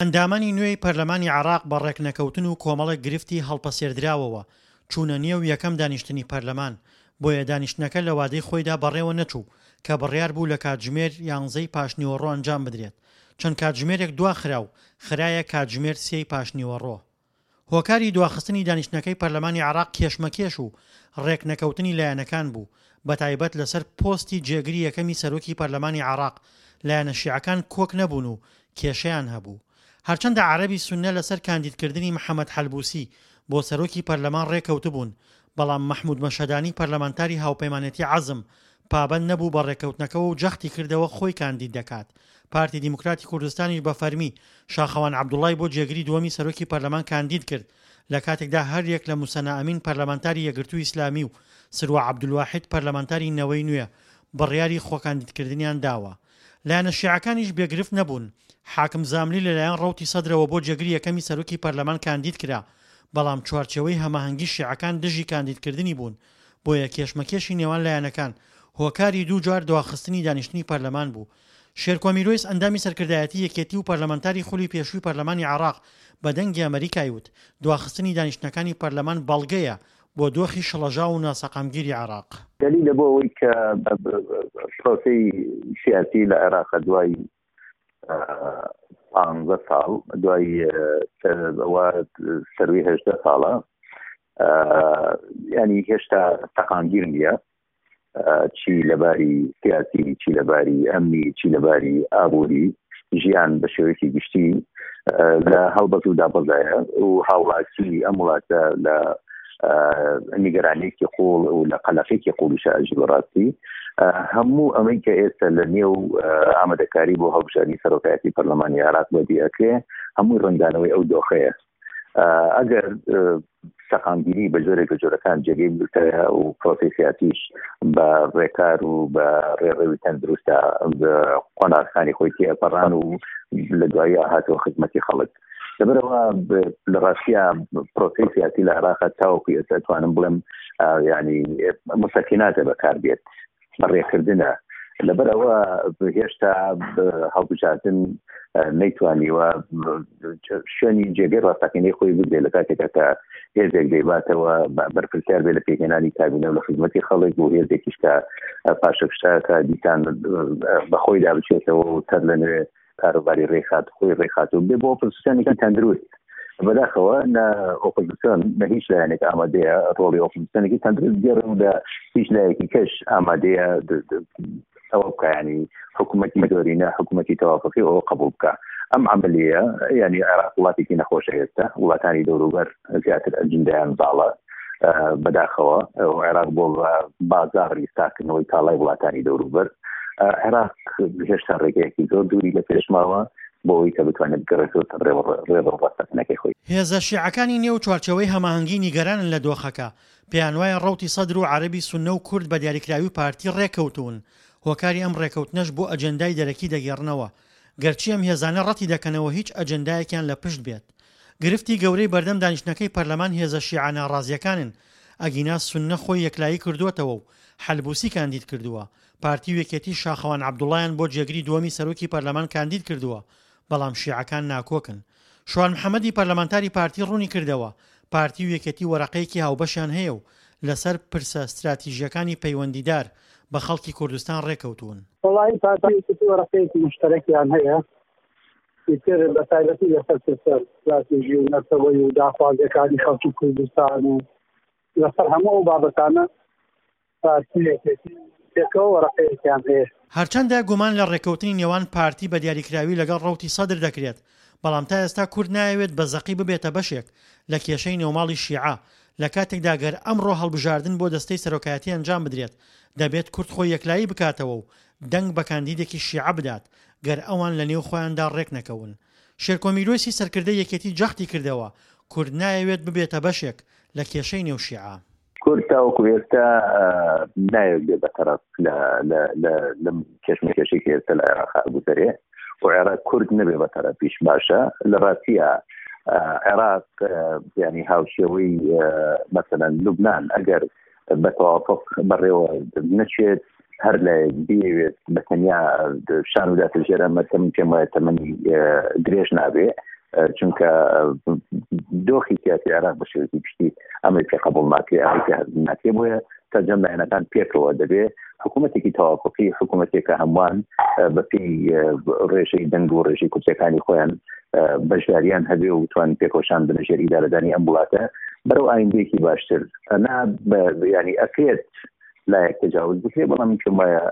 ئەندامانی نوێی پەرلەمانی عێراق بە ڕێکنەکەوتن و کۆمەڵێک گرفتی هەڵپەسێردراوەوە چوونە نێو یەکەم دانیشتنی پەرلەمان، بۆیە دانیشتنەکە لە وادەی خۆیدا بەڕێوە نەچوو کە بڕیار بوو لە کاتژمێر یانزەی پاشنیوەڕۆ ئەنجام بدرێت، چەند کاتژمێرێک دواخرا و خرایە کاتژمێر سێی پاشنیوەڕۆ. هۆکاری دواخستنی دانیشتنەکەی پەرلەمانی عێراق کێشمەکێش و رێکنەکەوتنی لایەنەکان بوو، بەتایبەت لەسەر پۆستی جێگری یەکەمی سەرۆکی پەرلەمانی عێراق، لایەنە شیعەکان کۆک نەبوون و کێشەیان هەبوو. هەرچەندە عەرەبی سوننە لەسەر کاندیدکردنی محەمەد حەلبوسی بۆ سەرۆکی پەرلەمان رێکەوتبوون، بەڵام مەحمود مەشهەدانی پەرلەمانتاری هاوپەیمانێتی عەزم پابەند نەبوو بە رێککەوتنەکەوە و جەختی کردەوە خۆی کاندید دەکات. پارتی دیموکراتی کوردستانیش بە فەرمی شاخەوان عەبدوڵای بۆ جێگری دووەمی سەرۆکی پەرلەمان کاندید کرد، لە کاتێکدا هەریەک لە موسەنا ئەمین پەرلەمانتاری یەکگرتووی ئیسلامی و سروە عەبدولواحید پەرلەمانتاری نەوەی نوێ بڕیاری خۆکاندیدکردنیان داوە. لایەنە شیعەکانیش بێ گرفت نەبوون، حاکم زاملی لەلایەن ڕەوتی سەدرەوە بۆ جێگری یەکەمی سەرۆکی پەرلەمان کاندید کرا، بەڵام چوارچێوەی هەماهەنگی شیعەکان دژی کاندیدکردنی بوون، بۆیە کێشمەکێشی نێوان لایەنەکان هۆکاری دووجار دواخستنی دانیشتنی پەرلەمان بوو. شێرکۆ میرۆیس ئەندامی سەرکردایەتی یەکێتی و پەرلەمانتاری خولی پێشووی پەرلەمانی عێراق بە دەنگی ئەمەریکای وت، دواخستنی دانیشتنەکانی پەرلەمان بەڵگەیە بۆ دۆخی شڵەژاو و ناسەقامگیری عێراق. دەلیلە بۆ ئەوەی کە پرۆسەی سیاسی لە عێراق دوای پانزە ساڵ دوای ئەوە سەروی هەژدە ساڵە ینی هێشتا سەقامگیر نییە چی لەباری سیاسی چی لەباری ئەمنی چی لەباری ئابووری ژیان بە شێوەیەکی گشتی لە هەڵبەز و دابەزایە و هاوڵاتی ئەم وڵاتە لە نیگەرانیەکی قوڵ و لە قەلەقێکی قوڵیشە ئەژی بەڕاستی هەموو ئەمەی کە ئێستا لە نێو ئامادەکاری بۆ هەڵبژاردنی سەرۆکایەتی پەرلەمانی عێراق بەدی ئەکرێ هەمووی ڕەنگدانەوەی ئەو دۆخەیە ئەگەر سەقامگیری بە جۆرێک لە جۆرەکان جێگەی بگرتایە و پرۆسەی سیاسیش بە ڕێکار و بە ڕێڕەوی تەندروستە قۆناغەکانی خۆی تێپەڕان و لە دوایی هاتەوە خزمەتی خەڵک لەبەرەوە لە ڕاستیا پرۆسەی سیاسی لە عێراق تاوەکو ئێستا توانم بڵێم ینی مسەکیناتە بەکار بێت بەڕێکردنە لەبەرەوە هێشتا هەڵبژاردن نەیتوانیوە شوێنی جێگەی ڕاستەقینەی خۆی بگرێت لە کاتێکا کە هێزێک دەیباتەوە بەرپرسیار بێ لە پێکهێنانی کابینە و لە خزمەتی خەڵک و هێزێکیش کە پاشەکشتاکە دیسان بەخۆیدا بچێتەوە و سەر لە نوێ کاروباری ڕێکخات خۆی ڕێکخات و بێ بۆ ئۆپۆزسیۆنێکی تەندروست بەداخەوە نە ئۆپۆزسیۆن نە هیچ لایەنێک ئامادەیە ڕۆڵی ئۆپۆزسیۆنێکی تەندروست بگێڕێ و لە هیچ لایەکی کەش ئامادەیە ئەوە بکە ینی حکوومەتی زۆرینە حکوومەتی تەوافقی ئەوە قبول بکە ئەم عملیە ینی عێراق وڵاتێکی نەخۆشە ئێستا وڵاتانی دەوروبەر زیاتر ئەجندایان زاڵە بەداخەوە عێراق بۆ بازاڕی ساکردنەوەی کاڵای وڵاتانی دەوروبەر عێراق هێشتا ڕێگەیەکی زۆر دووری لە پێش ماوە بۆ ئەوەی کە بتوانێت بگەڕێتەوە سەر ڕێڕەو ڕاستەقینەکەی خۆی. هێزە شیعەکانی نێو چوارچێوەی هەماهەنگی نیگەرانن لە دۆخەکە، پێیانوایە ڕەوتی سەدر و عەرەبی سوننە و کورد بە دیاریکراوی پارتی ڕێککەوتوون، هۆکاری ئەم ڕێککەوتنەش بۆ ئەجێندای دەرەکی دەگێڕنەوە، گەرچی ئەم هێزانە ڕەتی دەکەنەوە هیچ ئەجێندایەکیان لە پشت بێت. گرفتی گەورەی بەردەم دانیشتنەکەی پەرلەمان هێزە شیعە ناڕازییەکانن، ئەگینا سوننە خۆی یەکلایی کردووەتەوە و حەلبوسی کاندید کردووە، پارتی و یەکێتی شاخەوان عەبدوڵایان بۆ جێگری دووەمی سەرۆکی پەرلەمان کاندید کردووە، بەڵام شیعەکان ناکۆکن. شوان محەمەدی پەرلەمانتاری پارتی ڕوونی کردەوە، پارتی و یەکێتی وەرەقەیەکی هاوبەشیان هەیە و لەسەر پرسە ستراتیژییەکانی پەیوەندیدار بە خەڵکی کوردستان ڕێککەوتوون. وەڵاهی پارتی و یەکێتی وەرەقەیەکی موشتەرەکیان هەیە، ئیتر بە تایبەتی لەسەر پرسە ستراتیژی و نەتەوەیی و داخوازییەکانی خەڵکی کوردستان و لەسەر هەموو ئەو بابەتانە پارتی و یەکێتی پێکەوە وەرەقەیەکیان هەیە. هەرچەندە گومان لە ڕێککەوتنی نێوان پارتی بە دیاریکراوی لەگەڵ ڕەوتی سەدر دەکرێت، بەڵام تا ئێستا کورد نایەوێت بە زەقی ببێتە بەشێک لە کێشەی نێوماڵی شیعە، لە کاتێکدا گەر ئەمڕۆ هەڵبژاردن بۆ دەستەی سەرۆکایەتی ئەنجام بدرێت، دەبێت کورد خۆی یەکلایی بکاتەوە و دەنگ بە کاندیدێکی شیعە بدات، گەر ئەوان لە نێو خۆیاندا ڕێکنەکەون. شێرکۆ میرۆیسی سەرکردەی یەکێتی جەختی کردەوە، کورد نایەوێت ببێتە بەشێک لە کێشەی نێو شیعە. کورد تاوەکو ئێستا نایەوێت بێ بەتەرەف لە لە لە لەم کێشمەکێشەی کە ئێستا لە عێراق ئەگوزەرێ و عێراق کورد نەبێ بەتەرەفیش باشە لە ڕاستیە عێراق ینی هاوشێوەی مەسەلەن لوبناان ئەگەر بە تەوافق بەڕێوە نەچێت هەر لایەک بیەوێت بە تەنیا شان و داتە ژێرە مەتەم پێم وایە تەمەنی درێژ نابێ. چونکە دۆخی سیاسی عێراق بە شێوەیەکی گشتی ئەمەی پێ قبوڵ ناکرێ ئەمەی پێ هەزم ناکرێ بۆیە سەرجەم لایەنەکان پێکەوە دەبێ حکوومەتێکی تەوافقی حکوومەتێکە هەمووان بەپێی ڕێژەی دەنگ و ڕێژەی کورسیەکانی خۆیان بەشداریان هەبێ و توان پێکۆشان بنە ژێر ئیدارەدانی ئەم وڵاتە بەرەو ئایندەیەکی باشتر ئەنا ینی ئەکرێت لایەک تەجاوز بکرێ بەڵام من پێم وایە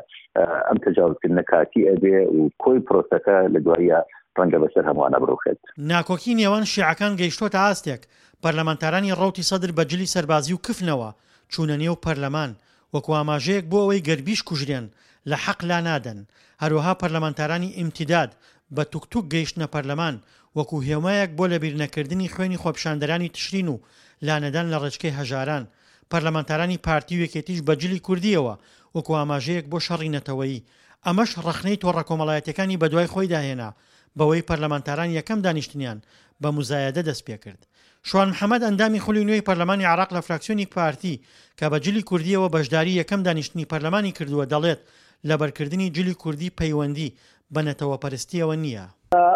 ئەم تەجاوزکردنە کاتی ئەبێ و کۆی پرۆسەکە لە دوایە ڕەنگە بەسەر هەمووانە بڕوخێت. ناکۆکی نێوان شیعەکان گەیشتۆتە ئاستێک، پەرلەمانتارانی ڕەوتی سەدر بە جلی سەربازی و کفنەوە چوونە نێو پەرلەمان، وەکو ئاماژەیەک بۆ ئەوەی گەر بیشکوژرێن لە حەق لانادەن، هەروەها پەرلەمانتارانی ئیمتیداد بە توکتوک گەیشتنە پەرلەمان، وەکو هێمایەک بۆ لەبیرنەکردنی خوێنی خۆپیشاندەرانی تشرین و لانەدان لە ڕێچکەی هەژاران، پەرلەمانتارانی پارتی و یەکێتیش بە جلی کوردییەوە وەکو ئاماژەیەک بۆ شەڕی نەتەوەیی، ئەمەش ڕەخنەی تۆڕە کۆمەڵایەتیەکانی بەدوای خۆیدا هێنا بەوەی پەرلەمانتاران یەکەم دانیشتنیان بە موزایەدە دەستپێکرد. شوان محەمەد ئەندامی خولی نوێی پەرلەمانی عێراق لە فراکسیۆنی پارتی کە بە جلی کوردییەوە بەشداری یەکەم دانیشتنی پەرلەمانی کردووە دەڵێت لەبەرکردنی جلی کوردی پەیوەندی بە نەتەوەپەرستییەوە نییە.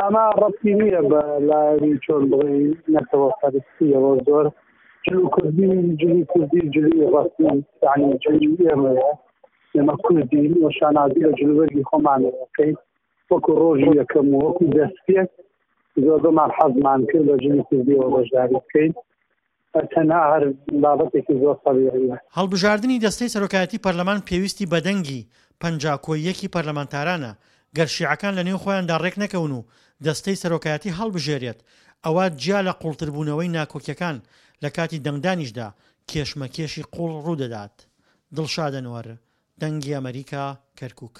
ئەمە ڕەبتی نییە بە لایەنی چۆن بڵێین نەتەوەپەرستییەوە زۆر جل کوردی جلی کوردی جلی ڕەسمی یعنی جلی ئێمەیە ئێمە کوردین و شانازی بە جلوبەرگی خۆمانەوە ئەکەین وەکو ڕۆژی یەکەم و وەکو دەستپێک زۆربەمان حەزمان کرد بە جلی کوردیەوە بەشداری بکەین تەنها هەر بابەتێکی زۆر تەبیعیە. هەڵبژاردنی دەستەی سەرۆکایەتی پەرلەمان پێویستی بە دەنگی 50 کۆی یەکی پەرلەمانتارانە، گەر شیعەکان لەنێو خۆیاندا ڕێکنەکەون و دەستەی سەرۆکایەتی هەڵبژێرێت، ئەوا جیا لە قوڵتربوونەوەی ناکۆکیەکان لە کاتی دەنگدانیشدا کێشمەکێشی قوڵ ڕوودەدات. دڵشاد ئەنوەر، دەنگی ئەمەریکا، کەرکوک.